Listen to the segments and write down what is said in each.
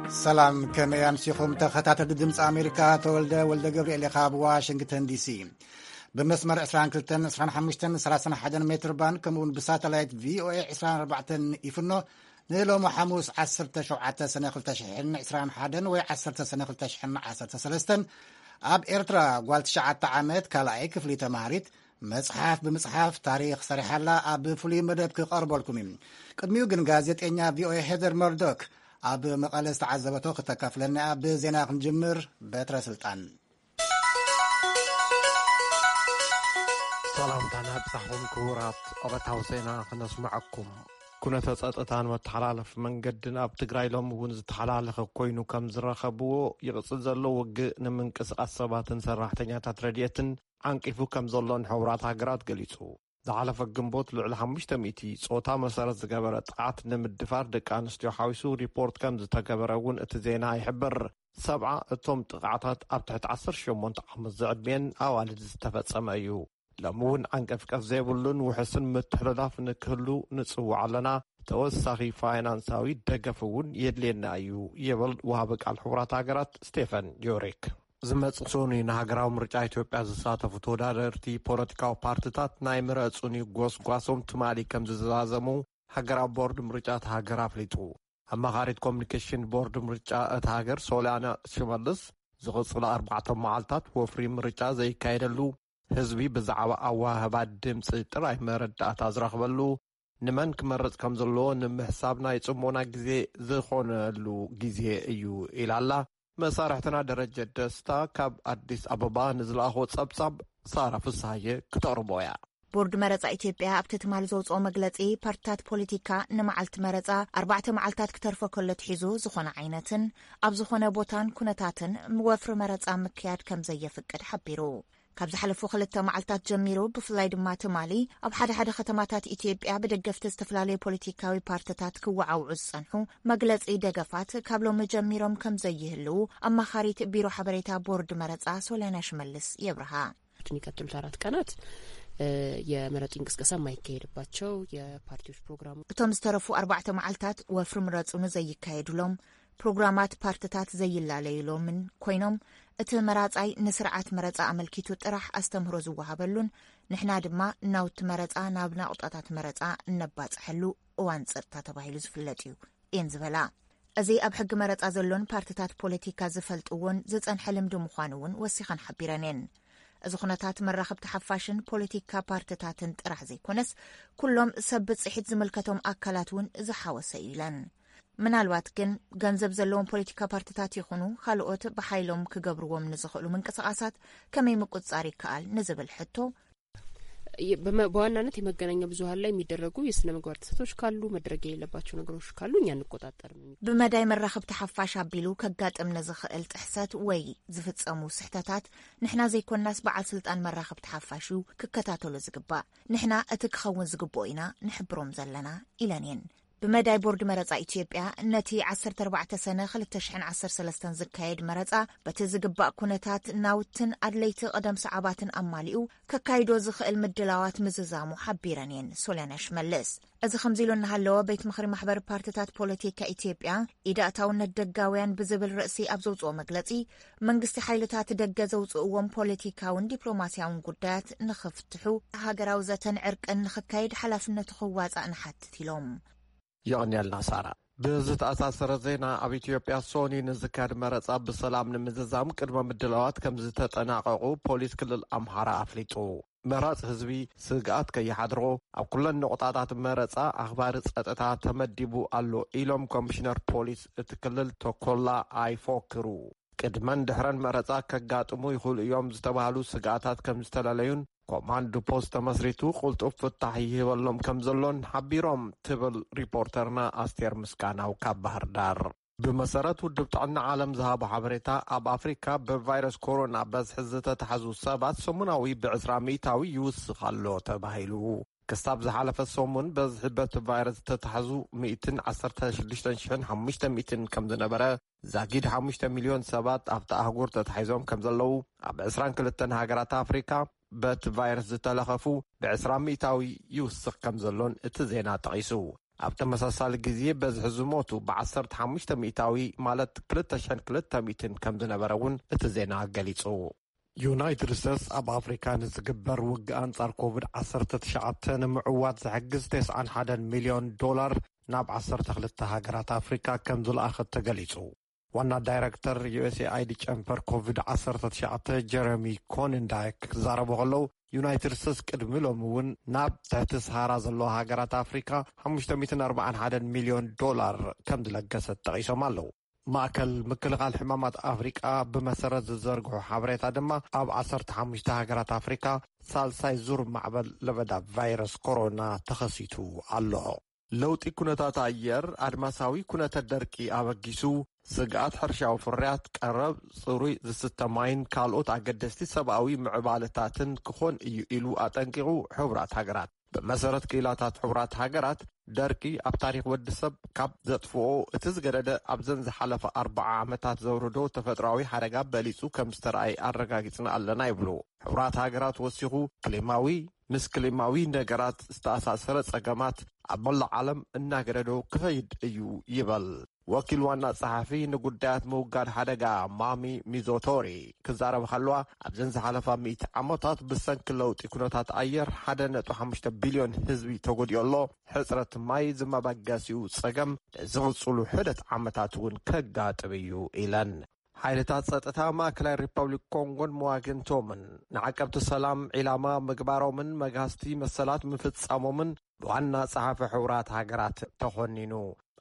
ሰላም፣ ከመይ ኣምሲኹም ተኸታተልቲ ድምፂ ኣሜሪካ? ተወልደ ወልደ ገብርኤል ኢኻ፣ ኣብ ዋሽንግተን ዲሲ ብመስመር ዕስራን ክልተን፣ ዕስራን ሓሙሽተን፣ ሰላሳን ሓደን ሜትር ባንድ፣ ከምኡ እውን ብሳተላይት ቪኦኤ ዕስራን ኣርባዕተን ይፍኖ። ንሎሚ ሓሙስ ዓሰርተ ሸውዓተ ሰነ ክልተ ሽሕን ዕስራን ሓደን ወይ ዓሰርተ ሰነ ክልተ ሽሕን ዓሰርተ ሰለስተን ኣብ ኤርትራ ጓል ትሽዓተ ዓመት ካልኣይ ክፍሊ ተማሃሪት መጽሓፍ ብምጽሓፍ ታሪኽ ሰሪሓላ ኣብ ፍሉይ መደብ ክቐርበልኩም እዩ። ቅድሚኡ ግን ጋዜጠኛ ቪኦኤ ሄዘር መርዶክ ኣብ መቐለ ዝተዓዘበቶ ክተካፍለና እያ። ብዜና ክንጅምር። በትረ ስልጣን። ሰላምታና ብጻሕኩም ክቡራት፣ ዕለታዊ ዜና ክነስምዐኩም። ኩነተ ጸጥታን መተሓላለፊ መንገድን ኣብ ትግራይ ሎሚ እውን ዝተሓላለኸ ኮይኑ ከም ዝረኸብዎ፣ ይቕጽል ዘሎ ውግእ ንምንቅስቓስ ሰባትን ሰራሕተኛታት ረድኤትን ዓንቂፉ ከም ዘሎ ንሕቡራት ሃገራት ገሊጹ። ዝሓለፈ ግንቦት ልዕሊ ሓሙሽተ ሚእቲ ጾታ መሰረት ዝገበረ ጥቃት ንምድፋር ደቂ ኣንስትዮ ሓዊሱ ሪፖርት ከም ዝተገበረ እውን እቲ ዜና ይሕብር። ሰብዓ እቶም ጥቃዕታት ኣብ ትሕቲ ዓሰርተ ሸሞንተ ዓመት ዝዕድሜን ኣዋልድ ዝተፈጸመ እዩ። ሎሚ እውን ዓንቀፍቀፍ ዘይብሉን ውሕስን ምትሕልላፍ ንክህሉ ንጽውዕ ኣለና። ተወሳኺ ፋይናንሳዊ ደገፍ እውን የድልየና እዩ፣ ይብል ወሃቢ ቃል ሕቡራት ሃገራት ስቴፈን ጆሪክ። ዝመጽእ ሰኑይ ንሃገራዊ ምርጫ ኢትዮጵያ ዝሳተፉ ተወዳደርቲ ፖለቲካዊ ፓርቲታት ናይ ምረጹኒ ጎስጓሶም ትማሊ ከም ዝዛዘሙ ሃገራዊ ቦርድ ምርጫ እቲ ሃገር ኣፍሊጡ። ኣማኻሪት ኮሚኒኬሽን ቦርድ ምርጫ እቲ ሃገር ሶልያና ሽመልስ፣ ዝቕጽሉ ኣርባዕተ መዓልታት ወፍሪ ምርጫ ዘይካየደሉ፣ ህዝቢ ብዛዕባ ኣወሃህባ ድምጺ ጥራይ መረዳእታ ዝረኽበሉ፣ ንመን ክመርጽ ከም ዘለዎ ንምሕሳብ ናይ ጽሞና ግዜ ዝኾነሉ ግዜ እዩ ኢላ ኣላ። መሳርሕትና ደረጀ ደስታ ካብ ኣዲስ ኣበባ ንዝለኣኾ ጸብጻብ ሳራ ፍስሃየ ክተቕርቦ እያ። ቦርድ መረጻ ኢትዮጵያ ኣብቲ ትማሊ ዘውጽኦ መግለጺ፣ ፓርቲታት ፖለቲካ ንመዓልቲ መረጻ ኣርባዕተ መዓልታት ክተርፎ ከሎ ትሒዙ ዝኾነ ዓይነትን ኣብ ዝኾነ ቦታን ኩነታትን ወፍሪ መረጻ ምክያድ ከም ዘየፍቅድ ሓቢሩ። ካብ ዝሓለፉ ክልተ መዓልታት ጀሚሩ፣ ብፍላይ ድማ ትማሊ፣ ኣብ ሓደ ሓደ ከተማታት ኢትዮጵያ ብደገፍቲ ዝተፈላለዩ ፖለቲካዊ ፓርቲታት ክወዓውዑ ዝጸንሑ መግለጺ ደገፋት ካብ ሎሚ ጀሚሮም ከም ዘይህልዉ ኣማኻሪት ቢሮ ሓበሬታ ቦርድ መረጻ ሶልያና ሽመልስ የብርሃ። የሚቀጥሉት አራት ቀናት የመረጡ እንቅስቀሳ የማይካሄድባቸው የፓርቲዎች ፕሮግራሙ። እቶም ዝተረፉ ኣርባዕተ መዓልታት ወፍሪ ምረጹ ንዘይካየዱሎም ፕሮግራማት ፓርቲታት ዘይላለዩሎምን ኮይኖም፣ እቲ መራጻይ ንስርዓት መረጻ ኣመልኪቱ ጥራሕ ኣስተምህሮ ዝወሃበሉን ንሕና ድማ ናውቲ መረጻ ናብ ናቑጣታት መረጻ እነባጽሐሉ እዋን ጸጥታ ተባሂሉ ዝፍለጥ እዩ እየን ዝበላ። እዚ ኣብ ሕጊ መረጻ ዘሎን ፓርቲታት ፖለቲካ ዝፈልጥዎን ዝጸንሐ ልምዲ ምዃኑ እውን ወሲኸን ሓቢረን እየን። እዚ ኩነታት መራኸብቲ ሓፋሽን ፖለቲካ ፓርቲታትን ጥራሕ ዘይኮነስ፣ ኩሎም ሰብ ብጽሒት ዝምልከቶም ኣካላት እውን ዝሓወሰ እዩ ኢለን። ምናልባት ግን ገንዘብ ዘለዎም ፖለቲካ ፓርቲታት ይኹኑ ካልኦት ብሓይሎም ክገብርዎም ንዝኽእሉ ምንቅስቓሳት ከመይ ምቁጽጻር ይከኣል ንዝብል ሕቶ፣ የ-፣ በመ-፣ በዋናነት የመገናኛ ብዙኃን ላይ የሚደረጉ የስነ ምግባር ጥሰቶች ካሉ፣ መድረግ የሌለባቸው ነገሮች ካሉ እኛ አንቆጣጠርም። ብመዳይ መራኸብቲ ሓፋሽ ኣቢሉ ከጋጥም ንዝኽእል ጥሕሰት ወይ ዝፍጸሙ ስሕተታት ንሕና ዘይኮናስ በዓል ስልጣን መራኸብቲ ሓፋሽ እዩ ክከታተሎ ዝግባእ። ንሕና እቲ ክኸውን ዝግብኦ ኢና ንሕብሮም ዘለና ኢለን እየን። ብመዳይ ቦርድ መረጻ ኢትዮጵያ ነቲ ዓሰርተ ኣርባዕተ ሰነ ክልተ ሽሕን ዓሰርተ ሰለስተን ዝካየድ መረጻ በቲ ዝግባእ ኩነታት ናውትን ኣድለይቲ ቅደም ሰዓባትን ኣማሊኡ ከካይዶ ዝኽእል ምድላዋት ምዝዛሙ ሓቢረን እየን ሶልያና ሽመልስ። እዚ ከምዚ ኢሉ እናሃለወ ቤት ምኽሪ ማሕበር ፓርቲታት ፖለቲካ ኢትዮጵያ ኢድ ኣእታውነት ደጋውያን ብዝብል ርእሲ ኣብ ዘውጽኦ መግለጺ መንግስቲ ሓይልታት ደገ ዘውጽእዎም ፖለቲካውን ዲፕሎማስያውን ጉዳያት ንኽፍትሑ ሃገራዊ ዘተን ዕርቅን ንኽካየድ ሓላፍነቱ ክዋጻእ ንሓትት ኢሎም። የቐንየልና ሳራ። ብዝተኣሳሰረ ዜና፣ ኣብ ኢትዮጵያ ሶኒ ንዝካየድ መረጻ ብሰላም ንምዝዛም ቅድመ ምድላዋት ከም ዝተጠናቐቑ ፖሊስ ክልል ኣምሓራ ኣፍሊጡ። መራጺ ህዝቢ ስግኣት ከይሓድሮ ኣብ ኩለን ነቑጣታት መረጻ ኣኽባሪ ጸጥታ ተመዲቡ ኣሎ ኢሎም ኮሚሽነር ፖሊስ እቲ ክልል ተኮላ ኣይፎክሩ። ቅድመን ድሕረን መረጻ ከጋጥሙ ይኽእሉ እዮም ዝተባህሉ ስግኣታት ከም ዝተለለዩን ኮማንድ ፖስት ተመስሪቱ ቅልጡፍ ፍታሕ ይህበሎም ከም ዘሎን ሓቢሮም ትብል ሪፖርተርና ኣስቴር ምስጋናው ካብ ባህር ዳር። ብመሰረት ውድብ ጥዕና ዓለም ዝሃቦ ሓበሬታ፣ ኣብ ኣፍሪካ ብቫይረስ ኮሮና በዝሒ ዝተታሕዙ ሰባት ሰሙናዊ ብዕስራ ሚእታዊ ይውስኽ ኣሎ ተባሂሉ። ክሳብ ዝሓለፈ ሰሙን በዝሒ በቲ ቫይረስ ዝተታሕዙ ሚእትን ዓሰርተ ሽዱሽተን ሽሕን ሓሙሽተ ሚእትን ከም ዝነበረ፣ ዛጊድ ሓሙሽተ ሚልዮን ሰባት ኣብቲ ኣህጉር ተታሒዞም ከም ዘለዉ፣ ኣብ ዕስራን ክልተን ሃገራት ኣፍሪካ በቲ ቫይረስ ዝተለኸፉ ብዕስራ ሚእታዊ ይውስኽ ከም ዘሎን እቲ ዜና ጠቒሱ። ኣብ ተመሳሳሊ ግዜ በዝሒ ዝሞቱ ብ15 ሚእታዊ፣ ማለት ክልተ ሽሕን ክልተ ሚእትን ከም ዝነበረ እውን እቲ ዜና ገሊጹ። ዩናይትድ ስቴትስ ኣብ ኣፍሪካ ንዝግበር ውግእ ኣንጻር ኮቪድ ዓሰርተ ትሽዓተ ንምዕዋት ዝሕግዝ ተስዓን ሓደን ሚልዮን ዶላር ናብ ዓሰርተ ክልተ ሃገራት ኣፍሪካ ከም ዝለኣኸት ተገሊጹ። ዋና ዳይረክተር ዩ ኤስ ኤ ኣይ ዲ ጨንፈር ኮቪድ ዓሰርተ ትሽዓተ ጀረሚ ኮንንዳይክ ክዛረቡ ከለዉ፣ ዩናይትድ ስቴትስ ቅድሚ ሎሚ እውን ናብ ትሕቲ ሰሃራ ዘለዋ ሃገራት ኣፍሪካ ሓሙሽተ ሚእትን ኣርባዓን ሓደን ሚልዮን ዶላር ከም ዝለገሰት ጠቒሶም ኣለዉ። ማእከል ምክልኻል ሕማማት ኣፍሪቃ ብመሰረት ዝዘርግሖ ሓበሬታ ድማ፣ ኣብ ዓሰርተ ሓሙሽተ ሃገራት ኣፍሪካ ሳልሳይ ዙር ማዕበል ለበዳ ቫይረስ ኮሮና ተኸሲቱ ኣሎ። ለውጢ ኩነታት ኣየር ኣድማሳዊ ኩነተ ደርቂ ኣበጊሱ፣ ስግኣት ሕርሻዊ ፍርያት፣ ቀረብ ጽሩይ ዝስተ ማይን ካልኦት ኣገደስቲ ሰብኣዊ ምዕባለታትን ክኾን እዩ ኢሉ ኣጠንቂቑ። ሕቡራት ሃገራት፣ ብመሰረት ክኢላታት ሕቡራት ሃገራት፣ ደርቂ ኣብ ታሪኽ ወዲ ሰብ ካብ ዘጥፍኦ እቲ ዝገደደ ኣብዘን ዝሓለፈ ኣርባዓ ዓመታት ዘውርዶ ተፈጥሮኣዊ ሓደጋ በሊጹ ከም ዝተረኣየ ኣረጋጊጽና ኣለና ይብሉ። ሕቡራት ሃገራት ወሲኹ፣ ክሊማዊ፣ ምስ ክሊማዊ ነገራት ዝተኣሳሰረ ጸገማት ኣብ መላእ ዓለም እናገደዶ ክኸይድ እዩ ይበል። ወኪል ዋና ጸሓፊ ንጉዳያት ምውጋድ ሓደጋ ማሚ ሚዞቶሪ ክዛረብ ከለዋ፣ ኣብዘን ዝሓለፋ ሚእቲ ዓመታት ብሰንኪ ለውጢ ኩነታት ኣየር ሓደ ነጥቢ ሓሙሽተ ቢልዮን ህዝቢ ተጎዲኡ ኣሎ። ሕጽረት ማይ ዝመበገሲኡ ጸገም ንዝቕጽሉ ሕደት ዓመታት እውን ከጋጥም እዩ ኢለን። ሓይልታት ጸጥታ ማእከላይ ሪፐብሊክ ኮንጎን መዋግንቶምን ንዓቀብቲ ሰላም ዒላማ ምግባሮምን መግሃስቲ መሰላት ምፍጻሞምን ብዋና ጸሓፊ ሕቡራት ሃገራት ተኾኒኑ።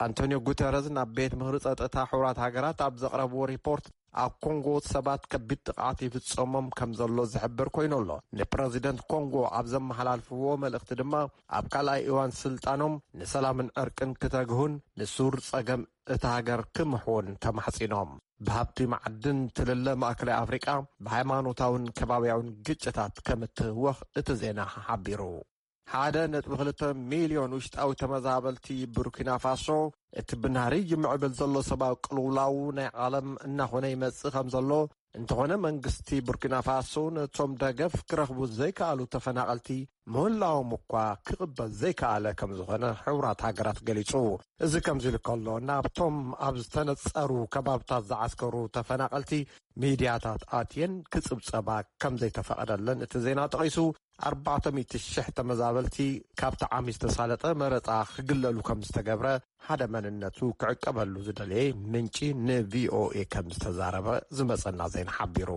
ኣንቶኒዮ ጉተረዝ ናብ ቤት ምኽሪ ጸጥታ ሕቡራት ሃገራት ኣብ ዘቕረብዎ ሪፖርት፣ ኣብ ኮንጎ ሰባት ከቢድ ጥቕዓት ይፍጸሞም ከም ዘሎ ዝሕብር ኮይኑ ኣሎ። ንፕረዚደንት ኮንጎ ኣብ ዘመሓላልፍዎ መልእኽቲ ድማ፣ ኣብ ካልኣይ እዋን ስልጣኖም ንሰላምን ዕርቅን ክተግሁን ንሱር ጸገም እታ ሃገር ክምሕውን ተማሕጺኖም። ብሃብቲ መዓድን ትልለ ማእከላይ ኣፍሪቃ ብሃይማኖታውን ከባብያውን ግጭታት ከም እትህወኽ እቲ ዜና ሓቢሩ። ሓደ ነጥቢ ክልተ ሚልዮን ውሽጣዊ ተመዛበልቲ ቡርኪና ፋሶ፣ እቲ ብናህሪ ይምዕብል ዘሎ ሰብኣዊ ቅልውላው ናይ ዓለም እናኾነ ይመጽእ ከም ዘሎ፣ እንተኾነ መንግስቲ ቡርኪና ፋሶ ነቶም ደገፍ ክረኽቡ ዘይከኣሉ ተፈናቐልቲ ምህላዎም እኳ ክቕበል ዘይከኣለ ከም ዝኾነ ሕቡራት ሃገራት ገሊጹ። እዚ ከምዚ ኢሉ ከሎ፣ ናብቶም ኣብ ዝተነጸሩ ከባብታት ዝዓስከሩ ተፈናቐልቲ ሚድያታት ኣትየን ክጽብጸባ ከም ዘይተፈቐደለን እቲ ዜና ጠቒሱ፣ ኣርባዕተ ሚእቲ ሽሕ ተመዛበልቲ ካብቲ ዓሚ ዝተሳለጠ መረጻ ክግለሉ ከም ዝተገብረ ሓደ መንነቱ ክዕቀበሉ ዝደለየ ምንጪ ን ቪ ኦ ኤ ከም ዝተዛረበ ዝመጸና ዜና ሓቢሩ።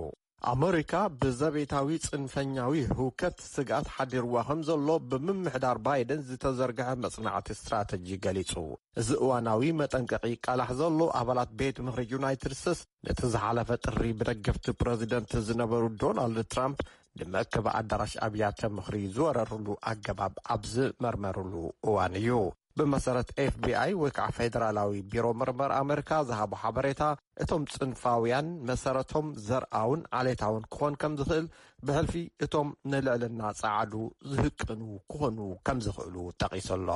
ኣመሪካ ብዘቤታዊ ጽንፈኛዊ ህውከት ስግኣት ሓዲርዋ ከም ዘሎ ብምምሕዳር ባይደን ዝተዘርግሐ መጽናዕቲ ስትራተጂ ገሊጹ። እዚ እዋናዊ መጠንቀቒ ይቃላሕ ዘሎ፣ ኣባላት ቤት ምኽሪ ዩናይትድ ስቴትስ ነቲ ዝሓለፈ ጥሪ ብደገፍቲ ፕረዚደንት ዝነበሩ ዶናልድ ትራምፕ ንመእከቢ ኣዳራሽ ኣብያተ ምኽሪ ዝወረርሉ ኣገባብ ኣብ ዝመርመርሉ እዋን እዩ። ብመሰረት ኤፍ ቢ ኣይ ወይ ከዓ ፌደራላዊ ቢሮ ምርመራ ኣመሪካ ዝሃቦ ሓበሬታ፣ እቶም ጽንፋውያን መሰረቶም ዘርኣውን ዓሌታውን ክኾን ከም ዝኽእል፣ ብሕልፊ እቶም ንልዕልና ጸዓዱ ዝህቅኑ ክኾኑ ከም ዝኽእሉ ጠቒሱ ኣሎ።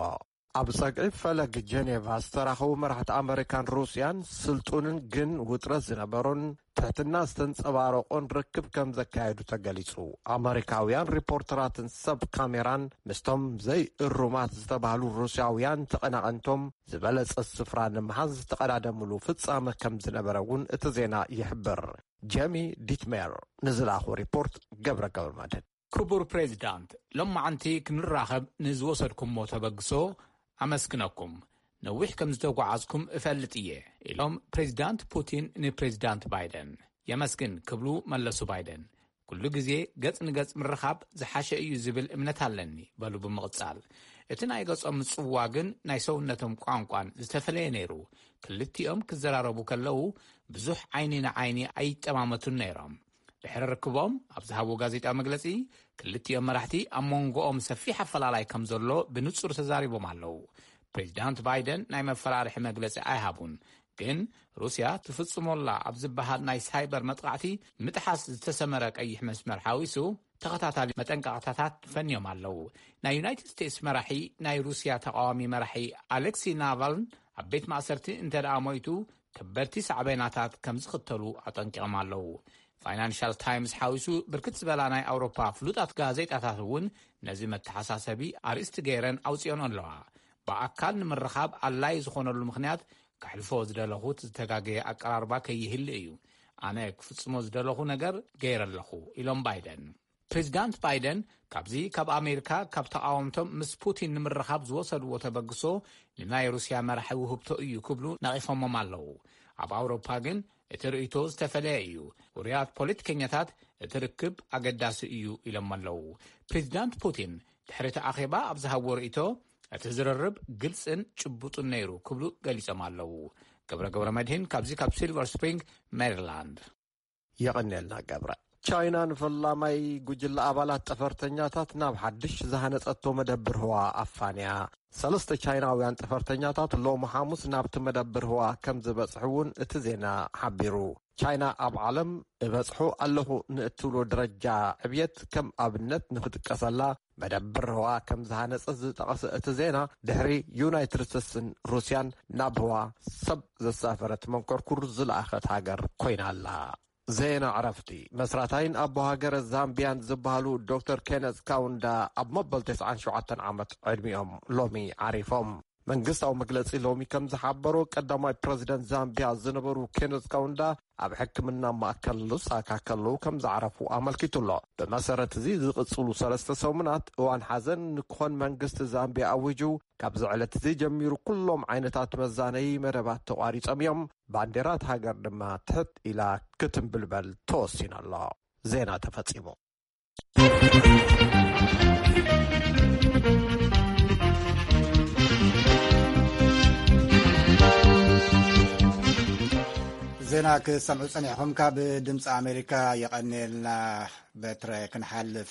ኣብ ጸግዒ ፈለግ ጀኔቫ ዝተራኸቡ መራሕቲ ኣመሪካን ሩስያን ስልጡንን ግን ውጥረት ዝነበሮን ትሕትና ዝተንጸባረቖን ርክብ ከም ዘካየዱ ተገሊጹ። ኣመሪካውያን ሪፖርተራትን ሰብ ካሜራን ምስቶም ዘይእሩማት ዝተባህሉ ሩስያውያን ተቐናቐንቶም ዝበለጸ ስፍራ ንምሓዝ ዝተቐዳደምሉ ፍጻመ ከም ዝነበረ እውን እቲ ዜና ይሕብር። ጀሚ ዲትሜር ንዝለኣኾ ሪፖርት ገብረ ገብረ መድህን። ክቡር ፕሬዚዳንት፣ ሎማዓንቲ ክንራኸብ ንዝወሰድኩሞ ተበግሶ ኣመስግነኩም። ነዊሕ ከም ዝተጓዓዝኩም እፈልጥ እየ፣ ኢሎም ፕሬዚዳንት ፑቲን ንፕሬዚዳንት ባይደን። የመስግን ክብሉ መለሱ ባይደን። ኩሉ ግዜ ገጽ ንገጽ ምርኻብ ዝሓሸ እዩ ዝብል እምነት ኣለኒ፣ በሉ ብምቕጻል። እቲ ናይ ገጾም ምጽውዋ ግን ናይ ሰውነቶም ቋንቋን ዝተፈለየ ነይሩ። ክልቲኦም ክዘራረቡ ከለዉ ብዙሕ ዓይኒ ንዓይኒ ኣይጠማመቱን ነይሮም። ድሕሪ ርክቦም ኣብ ዝሃብዎ ጋዜጣዊ መግለጺ፣ ክልቲኦም መራሕቲ ኣብ መንጎኦም ሰፊሕ ኣፈላላይ ከም ዘሎ ብንጹር ተዛሪቦም ኣለዉ። ፕሬዚዳንት ባይደን ናይ መፈራርሒ መግለጺ ኣይሃቡን፣ ግን ሩስያ ትፍጽሞላ ኣብ ዝበሃል ናይ ሳይበር መጥቓዕቲ ምጥሓስ ዝተሰመረ ቀይሕ መስመር ሓዊሱ ተኸታታሊ መጠንቀቕታታት ፈንዮም ኣለዉ። ናይ ዩናይትድ ስቴትስ መራሒ ናይ ሩስያ ተቓዋሚ መራሒ ኣሌክሲ ናቫልን ኣብ ቤት ማእሰርቲ እንተ ደኣ ሞይቱ፣ ከበድቲ ሳዕቤናታት ከም ዝኽተሉ ኣጠንቂቖም ኣለዉ። ፋይናንሻል ታይምስ ሓዊሱ ብርክት ዝበላ ናይ ኣውሮፓ ፍሉጣት ጋዜጣታት እውን ነዚ መተሓሳሰቢ ኣርእስቲ ገይረን ኣውጺኦን ኣለዋ። ብኣካል ንምርኻብ ኣድላዪ ዝኾነሉ ምኽንያት፣ ከሕልፎ ዝደለኹት ዝተጋገየ ኣቀራርባ ከይህሉ እዩ። ኣነ ክፍጽሞ ዝደለኹ ነገር ገይረ ኣለኹ፣ ኢሎም ባይደን። ፕሬዚዳንት ባይደን ካብዚ ካብ ኣሜሪካ ካብ ተቓወምቶም ምስ ፑቲን ንምርኻብ ዝወሰድዎ ተበግሶ ንናይ ሩስያ መራሒ ውህብቶ እዩ ክብሉ ነቒፎሞም ኣለዉ። ኣብ ኣውሮፓ ግን እቲ ርእይቶ ዝተፈለየ እዩ። ውሩያት ፖለቲከኛታት እቲ ርክብ ኣገዳሲ እዩ ኢሎም ኣለዉ። ፕሬዚዳንት ፑቲን ድሕሪ እቲ ኣኼባ ኣብ ዝሃብዎ ርእይቶ፣ እቲ ዝርርብ ግልጽን ጭቡጥን ነይሩ ክብሉ ገሊጾም ኣለዉ። ገብረ ገብረ መድህን ካብዚ ካብ ሲልቨር ስፕሪንግ ሜሪላንድ። የቐንየልና ገብረ። ቻይና ንፈላማይ ጉጅለ ኣባላት ጠፈርተኛታት ናብ ሓድሽ ዝሃነጸቶ መደብር ህዋ ኣፋንያ። ሰለስተ ቻይናውያን ጠፈርተኛታት ሎሚ ሓሙስ ናብቲ መደብር ህዋ ከም ዝበጽሑ እውን እቲ ዜና ሓቢሩ። ቻይና ኣብ ዓለም እበጽሑ ኣለኹ ንእትብሎ ደረጃ ዕብየት ከም ኣብነት ንኽጥቀሰላ መደብር ህዋ ከም ዝሃነጸት ዝጠቐሰ እቲ ዜና፣ ድሕሪ ዩናይትድ ስቴትስን ሩስያን ናብ ህዋ ሰብ ዘሳፈረት መንኮርኩር ዝለኣኸት ሃገር ኮይና ኣላ። ዜና ዕረፍቲ። መስራታይን ኣቦ ሃገረ ዛምቢያን ዝበሃሉ ዶክተር ኬነዝ ካውንዳ ኣብ መበል ተስዓን ሸውዓተን ዓመት ዕድሚኦም ሎሚ ዓሪፎም። መንግስታዊ መግለጺ ሎሚ ከም ዝሓበሮ፣ ቀዳማይ ፕረዚደንት ዛምቢያ ዝነበሩ ኬነዝ ካውንዳ ኣብ ሕክምና ማእከል ሉሳካ ከለዉ ከም ዝዓረፉ ኣመልኪቱ ኣሎ። ብመሰረት እዚ፣ ዝቕጽሉ ሰለስተ ሰሙናት እዋን ሓዘን ንክኾን መንግስቲ ዛምቢያ ኣዊጁ፣ ካብዚ ዕለት እዚ ጀሚሩ ኩሎም ዓይነታት መዛነዪ መደባት ተቋሪጾም እዮም። ባንዴራት ሃገር ድማ ትሕት ኢላ ክትንብልበል ተወሲኑ ኣሎ። ዜና ተፈጺሙ። ዜና ክሰምዑ ጸኒሕኹም ካብ ድምፂ ኣሜሪካ። የቐንየልና። በትረ ክንሓልፍ፣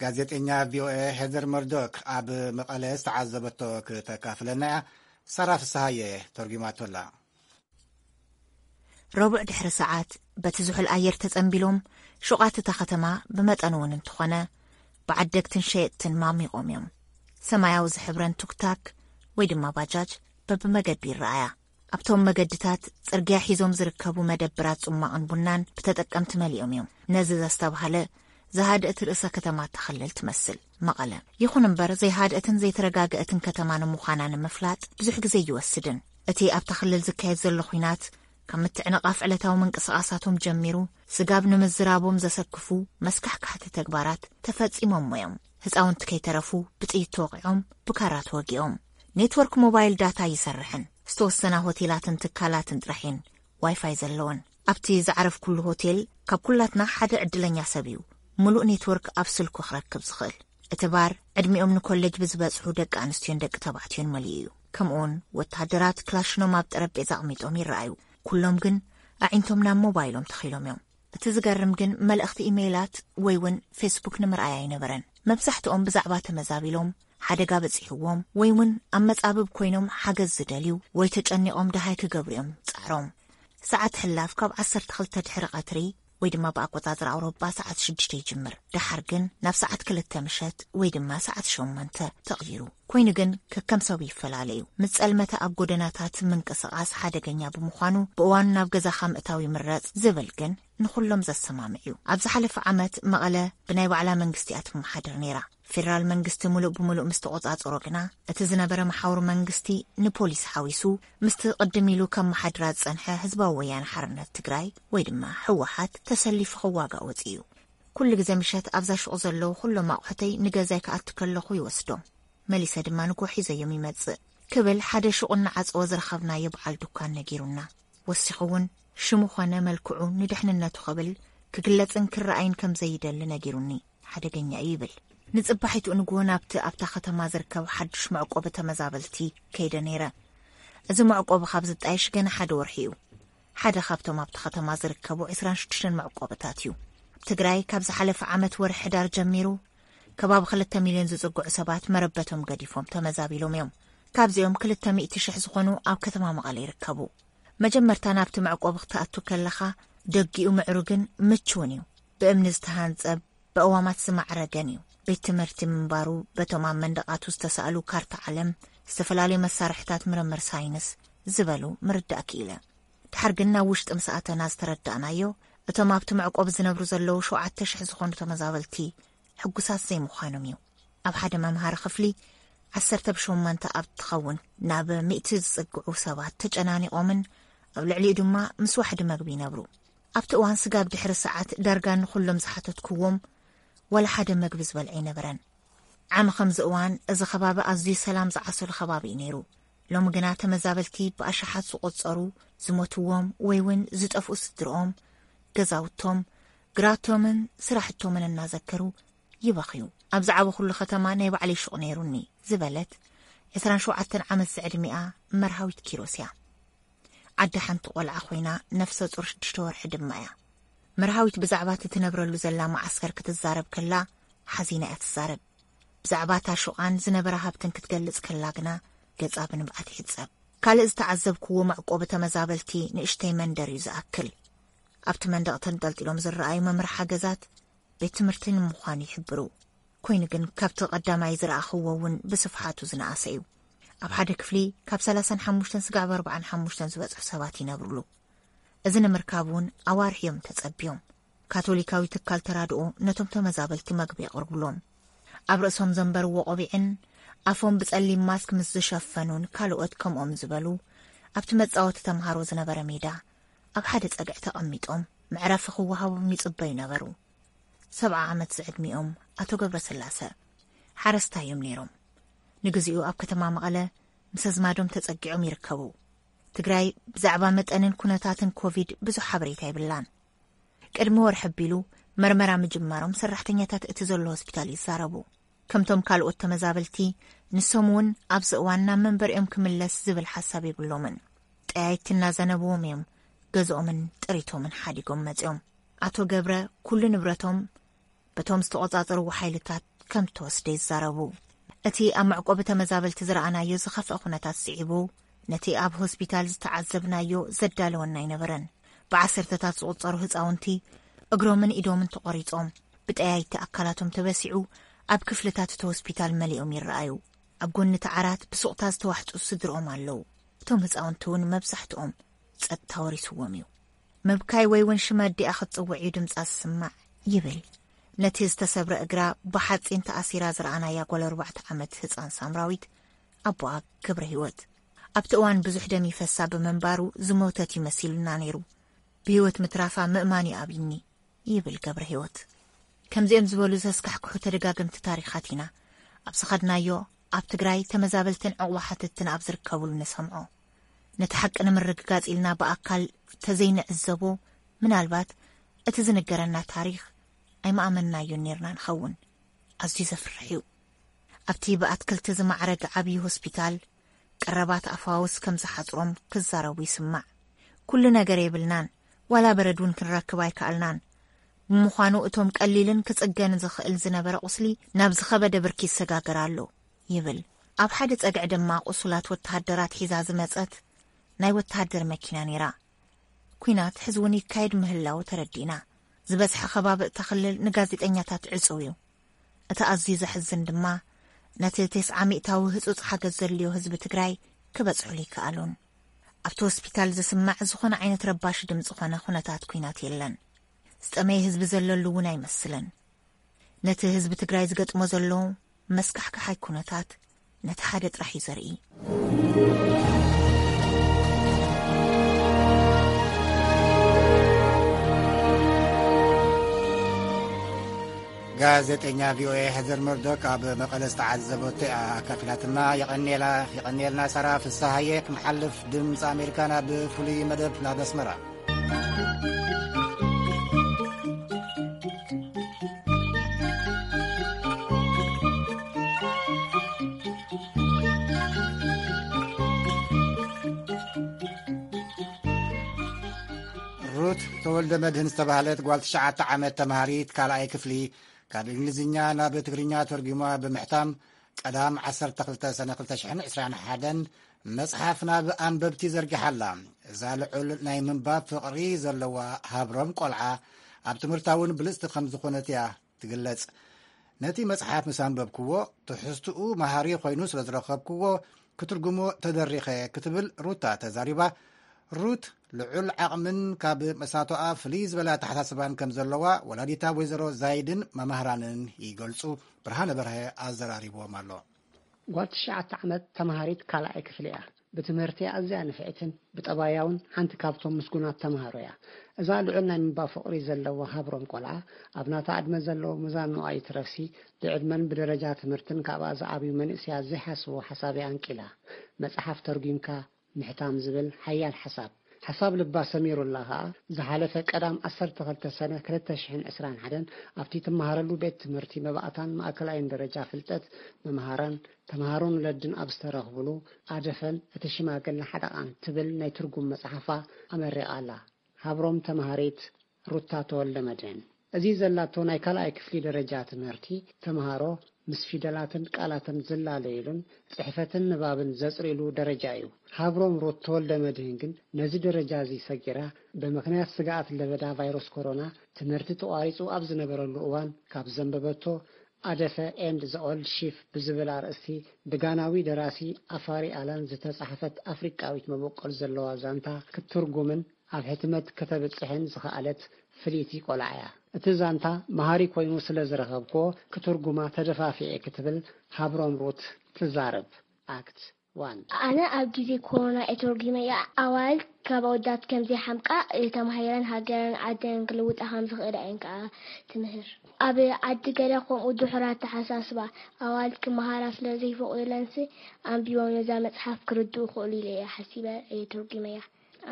ጋዜጠኛ ቪኦኤ ሄዘር መርዶክ ኣብ መቐለ ዝተዓዘበቶ ክተካፍለና እያ። ሳራ ፍስሃየ ተርጒማቶ ኣላ። ረቡዕ ድሕሪ ሰዓት በቲ ዝሑል ኣየር ተጸንቢሎም፣ ሹቓት እታ ከተማ ብመጠኑ እውን እንተኾነ፣ ብዓደግትን ሸየጥትን ማሚቖም እዮም። ሰማያዊ ዝሕብረን ቱክታክ ወይ ድማ ባጃጅ በብመገዱ ይረኣያ። ኣብቶም መገድታት ጽርግያ ሒዞም ዝርከቡ መደብራት ጽማቕን ቡናን ብተጠቀምቲ መሊኦም እዮም። ነዚ ዘስተብሃለ፣ ዝሃደእት ርእሰ ከተማ እታ ክልል ትመስል መቐለ። ይኹን እምበር፣ ዘይሃደእትን ዘይተረጋገእትን ከተማ ንምዃና ንምፍላጥ ብዙሕ ግዜ ኣይወስድን። እቲ ኣብታ ክልል ዝካየድ ዘሎ ኲናት፣ ካብ ምትዕንቓፍ ዕለታዊ ምንቅስቓሳቶም ጀሚሩ፣ ስጋብ ንምዝራቦም ዘሰክፉ መስካሕካሕቲ ተግባራት ተፈጺሞሞ እዮም። ህጻውንቲ ከይተረፉ ብጥይት ተወቒዖም፣ ብካራ ተወጊኦም። ኔትወርክ ሞባይል ዳታ ኣይሰርሕን። ዝተወሰና ሆቴላትን ትካላትን ጥራሕ እየን ዋይፋይ ዘለወን። ኣብቲ ዝዓረፍኩሉ ሆቴል፣ ካብ ኩላትና ሓደ ዕድለኛ ሰብ እዩ ምሉእ ኔትወርክ ኣብ ስልኩ ክረክብ ዝኽእል። እቲ ባር፣ ዕድሚኦም ንኮሌጅ ብዝበጽሑ ደቂ ኣንስትዮን ደቂ ተባዕትዮን መሊኡ እዩ። ከምኡውን ወተሃደራት ክላሽኖም ኣብ ጠረጴዛ ኣቕሚጦም ይረኣዩ። ኩሎም ግን ኣዒንቶም ናብ ሞባይሎም ተኺሎም እዮም። እቲ ዝገርም ግን፣ መልእኽቲ ኢሜይላት ወይ እውን ፌስቡክ ንምርኣይ ኣይነበረን። መብዛሕትኦም ብዛዕባ ተመዛቢሎም፣ ሓደጋ በጺሕዎም፣ ወይ እውን ኣብ መጻብብ ኮይኖም ሓገዝ ዝደልዩ ወይ ተጨኒቖም ደሃይ ክገብሩ እዮም ጻዕሮም። ሰዓት ሕላፍ ካብ ዓሰርተ ክልተ ድሕሪ ቀትሪ ወይ ድማ ብኣቆጻጽራ ኣውሮጳ ሰዓት ሽዱሽተ ይጅምር። ደሓር ግን ናብ ሰዓት ክልተ ምሸት ወይ ድማ ሰዓት ሸሞንተ ተቕይሩ። ኮይኑ ግን ከከም ሰቡ ይፈላለ እዩ። ምስ ጸልመተ ኣብ ጎደናታት ምንቅስቓስ ሓደገኛ ብምዃኑ ብእዋኑ ናብ ገዛኻ ምእታው ይምረጽ ዝብል ግን ንኹሎም ዘሰማምዕ እዩ። ኣብ ዝሓለፈ ዓመት መቐለ ብናይ ባዕላ መንግስቲ እያ ትመሓደር ነይራ። ፌደራል መንግስቲ ምሉእ ብምሉእ ምስ ተቖጻጸሮ ግና፣ እቲ ዝነበረ መሓውር መንግስቲ ንፖሊስ ሓዊሱ፣ ምስቲ ቅድም ኢሉ ከመሓድራ ዝጸንሐ ህዝባዊ ወያነ ሓርነት ትግራይ ወይ ድማ ህወሓት ተሰሊፉ ክዋጋእ ወጺኡ እዩ። ኩሉ ግዜ ምሸት ኣብዛ ሹቕ ዘለዉ ኩሎም ኣቑሑተይ ንገዛይ ክኣቱ ከለኹ ይወስዶም። መሊሰ ድማ ንግሆ ሒዘዮም ይመጽእ ክብል ሓደ ሹቕ እናዓጸወ ዝረኸብናዮ በዓል ዱኳን ነጊሩና። ወሲኹ እውን ሽሙ ኾነ መልክዑ ንድሕንነቱ ክብል ክግለጽን ክረኣይን ከም ዘይደሊ ነጊሩኒ። ሓደገኛ እዩ ይብል። ንጽባሒቱ ንግሆ ናብቲ ኣብታ ከተማ ዝርከብ ሓድሽ መዕቆቢ ተመዛበልቲ ከይደ ነይረ። እዚ መዕቆቢ ካብ ዝጣየሽ ገና ሓደ ወርሒ እዩ። ሓደ ካብቶም ኣብቲ ከተማ ዝርከቡ ዕስራን ሽዱሽተን መዕቆብታት እዩ። ኣብ ትግራይ ካብ ዝሓለፈ ዓመት ወርሒ ሕዳር ጀሚሩ ከባቢ ክልተ ሚልዮን ዝጽግዑ ሰባት መረበቶም ገዲፎም ተመዛቢሎም እዮም። ካብዚኦም ክልተ ሚእቲ ሽሕ ዝኾኑ ኣብ ከተማ መቐለ ይርከቡ። መጀመርታ ናብቲ መዕቆቢ ክትኣቱ ከለኻ፣ ደጊኡ ምዕሩግን ምቹውን እዩ። ብእምኒ ዝተሃንጸ፣ ብእዋማት ዝማዕረገን እዩ። ቤት ትምህርቲ ምንባሩ በቶም ኣብ መንደቓቱ ዝተሳእሉ ካርታ ዓለም፣ ዝተፈላለዩ መሳርሕታት ምርምር ሳይንስ ዝበሉ ምርዳእ ክኢለ። ድሓር ግን ናብ ውሽጢ ምስ ኣተና ዝተረዳእናዮ፣ እቶም ኣብቲ መዕቆቢ ዝነብሩ ዘለዉ ሸውዓተ ሽሕ ዝኾኑ ተመዛበልቲ ሕጉሳት ዘይምዃኖም እዩ። ኣብ ሓደ መምሃሪ ክፍሊ ዓሰርተ ብሸሞንተ ኣብ ትኸውን ናብ ሚእቲ ዝጽግዑ ሰባት ተጨናኒቖምን ኣብ ልዕሊኡ ድማ ምስ ዋሕዲ መግቢ ይነብሩ። ኣብቲ እዋን ስጋብ ድሕሪ ሰዓት ዳርጋ ንኹሎም ዝሓተትክዎም ዋላ ሓደ መግቢ ዝበልዐ ኣይነበረን። ዓሚ ከምዚ እዋን እዚ ከባቢ ኣዝዩ ሰላም ዝዓሰሉ ከባቢ እዩ ነይሩ። ሎሚ ግና ተመዛበልቲ ብኣሽሓት ዝቖጸሩ ዝሞትዎም ወይ እውን ዝጠፍኡ ስድርኦም፣ ገዛውቶም፣ ግራቶምን ስራሕቶምን እናዘከሩ ይበኽዩ። ኣብ ዝዓበኹሉ ከተማ ናይ ባዕለይ ሹቕ ነይሩኒ ዝበለት ዕስራን ሸውዓተን ዓመት ዝዕድሚኣ መርሃዊት ኪሮስ እያ። ዓዲ ሓንቲ ቆልዓ ኮይና ነፍሰ ጡር ሽዱሽተ ወርሒ ድማ እያ። መርሃዊት ብዛዕባ እቲ ትነብረሉ ዘላ መዓስከር ክትዛረብ ከላ ሓዚና እያ ትዛረብ። ብዛዕባ እታ ሹቓን ዝነበራ ሃብትን ክትገልጽ ከላ ግና ገጻ ብንብዓት ይሕጸብ። ካልእ ዝተዓዘብክዎ መዕቆቢ ተመዛበልቲ ንእሽተይ መንደር እዩ ዝኣክል። ኣብቲ መንደቕ ተንጠልጢሎም ዝረኣዩ መምርሓ ገዛት ቤት ትምህርቲ ንምዃኑ ይሕብሩ። ኮይኑ ግን ካብቲ ቀዳማይ ዝረኣኽዎ እውን ብስፍሓቱ ዝነኣሰ እዩ። ኣብ ሓደ ክፍሊ ካብ ሰላሳን ሓሙሽተን ስጋዕ ኣርባዓን ሓሙሽተን ዝበጽሑ ሰባት ይነብሩሉ። እዚ ንምርካብ እውን ኣዋርሕ እዮም ተጸብዮም። ካቶሊካዊ ትካል ተራድኦ ነቶም ተመዛበልቲ መግቢ የቕርብሎም። ኣብ ርእሶም ዘንበርዎ ቆቢዕን ኣፎም ብጸሊም ማስክ ምስ ዝሸፈኑን ካልኦት ከምኦም ዝበሉ ኣብቲ መጻወቲ ተምሃሮ ዝነበረ ሜዳ ኣብ ሓደ ጸግዒ ተቐሚጦም መዕረፊ ክወሃቦም ይጽበዩ ነበሩ። ሰብዓ ዓመት ዝዕድሚኦም ኣቶ ገብረስላሰ ሓረስታይ እዮም ነይሮም። ንግዚኡ ኣብ ከተማ መቐለ ምስ ኣዝማዶም ተጸጊዖም ይርከቡ። ትግራይ ብዛዕባ መጠንን ኩነታትን ኮቪድ ብዙሕ ሓበሬታ የብላን። ቅድሚ ወርሒ ኣቢሉ መርመራ ምጅማሮም ሰራሕተኛታት እቲ ዘሎ ሆስፒታል ይዛረቡ። ከምቶም ካልኦት ተመዛበልቲ፣ ንሶም እውን ኣብዚ እዋን ናብ መንበሪኦም ክምለስ ዝብል ሓሳብ የብሎምን። ጠያይቲ እናዘነበዎም እዮም ገዝኦምን ጥሪቶምን ሓዲጎም መጺኦም። ኣቶ ገብረ ኩሉ ንብረቶም በቶም ዝተቖጻጸርዎ ሓይልታት ከም እተወስደ ይዛረቡ። እቲ ኣብ መዕቆቢ ተመዛበልቲ ዝረኣናዮ ዝኸፍአ ኩነታት ስዒቡ፣ ነቲ ኣብ ሆስፒታል ዝተዓዘብናዮ ዘዳለወና ኣይነበረን። ብዓሰርተታት ዝቑጸሩ ህጻውንቲ እግሮምን ኢዶምን ተቖሪጾም፣ ብጠያይቲ ኣካላቶም ተበሲዑ፣ ኣብ ክፍልታት እቲ ሆስፒታል መሊኦም ይረኣዩ። ኣብ ጎኒ እቲ ዓራት ብሱቕታ ዝተዋሕጡ ስድርኦም ኣለዉ። እቶም ህጻውንቲ እውን መብዛሕትኦም ጸጥታ ወሪስዎም እዩ። ምብካይ ወይ እውን ሽም ኣዲኣ ክትጽውዕ እዩ ድምጻ ዝስማዕ፣ ይብል ነቲ ዝተሰብረ እግራ ብሓጺን ተኣሲራ ዝረኣናያ ጓል ኣርባዕተ ዓመት ህጻን ሳምራዊት ኣቦኣ ገብረ ህይወት። ኣብቲ እዋን ብዙሕ ደም ይፈሳ ብምንባሩ ዝሞተት እዩ መሲሉና ነይሩ። ብህይወት ምትራፋ ምእማን እዩ ኣብይኒ፣ ይብል ገብረ ህይወት። ከምዚኦም ዝበሉ ዘስካሕክሑ ተደጋገምቲ ታሪኻት ኢና ኣብ ዝኸድናዮ ኣብ ትግራይ ተመዛበልትን ዕቑባ ሓተትትን ኣብ ዝርከቡሉ ንሰምዖ። ነቲ ሓቂ ንምርግጋጽ ኢልና ብኣካል ተዘይንዕዘቦ፣ ምናልባት እቲ ዝንገረና ታሪኽ ኣይምኣመንናዮን ኔርና ንኸውን። ኣዝዩ ዘፍርሕ እዩ። ኣብቲ ብኣትክልቲ ዝማዕረገ ዓብዪ ሆስፒታል፣ ቀረባት ኣፋውስ ከም ዝሓጽሮም ክዛረቡ ይስማዕ። ኩሉ ነገር የብልናን፣ ዋላ በረድ እውን ክንረክብ ኣይከኣልናን። ብምዃኑ እቶም ቀሊልን ክጽገን ዝኽእል ዝነበረ ቁስሊ ናብ ዝኸበደ ብርኪ ይሰጋገር ኣሎ፣ ይብል። ኣብ ሓደ ጸግዒ ድማ ቁሱላት ወተሃደራት ሒዛ ዝመጸት ናይ ወተሃደር መኪና ነይራ። ኲናት ሕዚ እውን ይካየድ ምህላዉ ተረዲእና። ዝበዝሐ ከባቢ እታ ክልል ንጋዜጠኛታት ዕጹው እዩ። እቲ ኣዝዩ ዘሕዝን ድማ፣ ነቲ ተስዓ ሚእታዊ ህጹጽ ሓገዝ ዘድልዮ ህዝቢ ትግራይ ክበጽሑሉ ይከኣሉን። ኣብቲ ሆስፒታል ዝስማዕ ዝኾነ ዓይነት ረባሺ ድምጺ ኾነ ኩነታት ኲናት የለን። ዝጠመየ ህዝቢ ዘለሉ እውን ኣይመስልን። ነቲ ህዝቢ ትግራይ ዝገጥሞ ዘሎ መስካሕካሓይ ኩነታት ነቲ ሓደ ጥራሕ እዩ ዘርኢ። ጋዜጠኛ ቪኦኤ ሄዘር መርዶክ ኣብ መቐለ ዝተዓዘበቶ እያ ኣካፊላትና። የቐንየላ፣ የቐንየልና ሳራ ፍስሃየ። ክመሓልፍ ድምፂ ኣሜሪካ ናብ ፍሉይ መደብ ናብ ኣስመራ። ሩት ተወልደ መድህን ዝተባህለት ጓል ትሽዓተ ዓመት ተምሃሪት ካልኣይ ክፍሊ፣ ካብ እንግሊዝኛ ናብ ትግርኛ ተርጒማ ብምሕታም፣ ቀዳም ዓሰርተ ክልተ ሰነ ክልተ ሽሕን ዕስራን ሓደን መጽሓፍ ናብ ኣንበብቲ ዘርጊሓ ኣላ። እዛ ልዑል ናይ ምንባብ ፍቕሪ ዘለዋ ሃብሮም ቆልዓ፣ ኣብ ትምህርታ እውን ብልጽቲ ከም ዝኾነት እያ ትግለጽ። ነቲ መጽሓፍ ምስ ኣንበብክዎ፣ ትሕዝትኡ መሃሪ ኮይኑ ስለ ዝረኸብክዎ፣ ክትርጉሞ ተደሪኸ፣ ክትብል ሩታ ተዛሪባ። ሩት ልዑል ዓቕምን ካብ መሳቶኣ ፍልይ ዝበለ ኣተሓሳስባን ከም ዘለዋ ወላዲታ ወይዘሮ ዛይድን መማህራንን ይገልጹ። ብርሃነ በርሀ ኣዘራሪብዎም ኣሎ። ጓል ትሽዓተ ዓመት ተምሃሪት ካልኣይ ክፍሊ እያ። ብትምህርቲ ኣዝያ ንፍዕትን ብጠባያውን ሓንቲ ካብቶም ምስጉናት ተምሃሮ እያ። እዛ ልዑል ናይ ምንባብ ፍቕሪ ዘለዋ ሃብሮም ቆልዓ፣ ኣብ ናታ ዕድመ ዘለዉ ምዛን ንዋይ ትረፍሲ፣ ብዕድመን ብደረጃ ትምህርትን ካብኣ ዝዓብዩ መንእሰያት ዘይሓስብዎ ሓሳብ እያ ኣንቂላ። መጽሓፍ ተርጒምካ ምሕታም ዝብል ሓያል ሓሳብ። ሓሳብ ልባ ሰሚሩላ ከኣ፣ ዝሓለፈ ቀዳም ዓሰርተ ክልተ ሰነ ክልተ ሽሕን ዕስራን ሓደን ኣብቲ ትመሃረሉ ቤት ትምህርቲ መባእታን ማእከላይን ደረጃ ፍልጠት መምሃራን ተምሃሮን ወለድን ኣብ ዝተረኽብሉ ኣደፈን እቲ ሽማግለ ሓደቓን ትብል ናይ ትርጉም መጽሓፋ ኣመሪቓ ኣላ። ሃብሮም ተምሃሪት ሩታ ተወልደ መድህን። እዚ ዘላቶ ናይ ካልኣይ ክፍሊ ደረጃ ትምህርቲ ተምሃሮ ምስ ፊደላትን ቃላትን ዝላለዩሉን ጽሕፈትን ንባብን ዘጽርዩሉ ደረጃ እዩ። ሃብሮም ሩት ተወልደ መድህን ግን ነዚ ደረጃ እዚ ሰጊራ፣ ብምኽንያት ስግኣት ለበዳ ቫይረስ ኮሮና ትምህርቲ ተቋሪጹ ኣብ ዝነበረሉ እዋን ካብ ዘንበበቶ ኣደፈ ኤንድ ዘ ኦልድ ሺፍ ብዝብል ኣርእስቲ ብጋናዊ ደራሲ ኣፋሪ ኣላን ዝተጻሕፈት ኣፍሪቃዊት መበቆል ዘለዋ ዛንታ ክትትርጉምን ኣብ ሕትመት ከተብጽሕን ዝኸኣለት ፍልይቲ ቆልዓ እያ። እቲ ዛንታ መሃሪ ኮይኑ ስለ ዝረኸብክዎ፣ ክትርጉማ ተደፋፊዐ ክትብል ሃብሮም ሩት ትዛረብ። ኣክት ዋን። ኣነ ኣብ ግዜ ኮሮና እየ ተርጒመያ። ኣዋልድ ካብ ኣወዳት ከም ዘይሓምቃ፣ ተማሂረን ሃገረን ዓደን ክልውጣ ከም ዝኽእላ እየን ከኣ ትምህር። ኣብ ዓዲ ገለ ከምኡ ድሑር ኣተሓሳስባ፣ ኣዋልድ ክመሃራ ስለ ዘይፈቕዱለንሲ፣ ኣንቢቦም ነዛ መጽሓፍ ክርድኡ ክኽእሉ ኢለ እየ ሓሲበ እየ ተርጒመያ።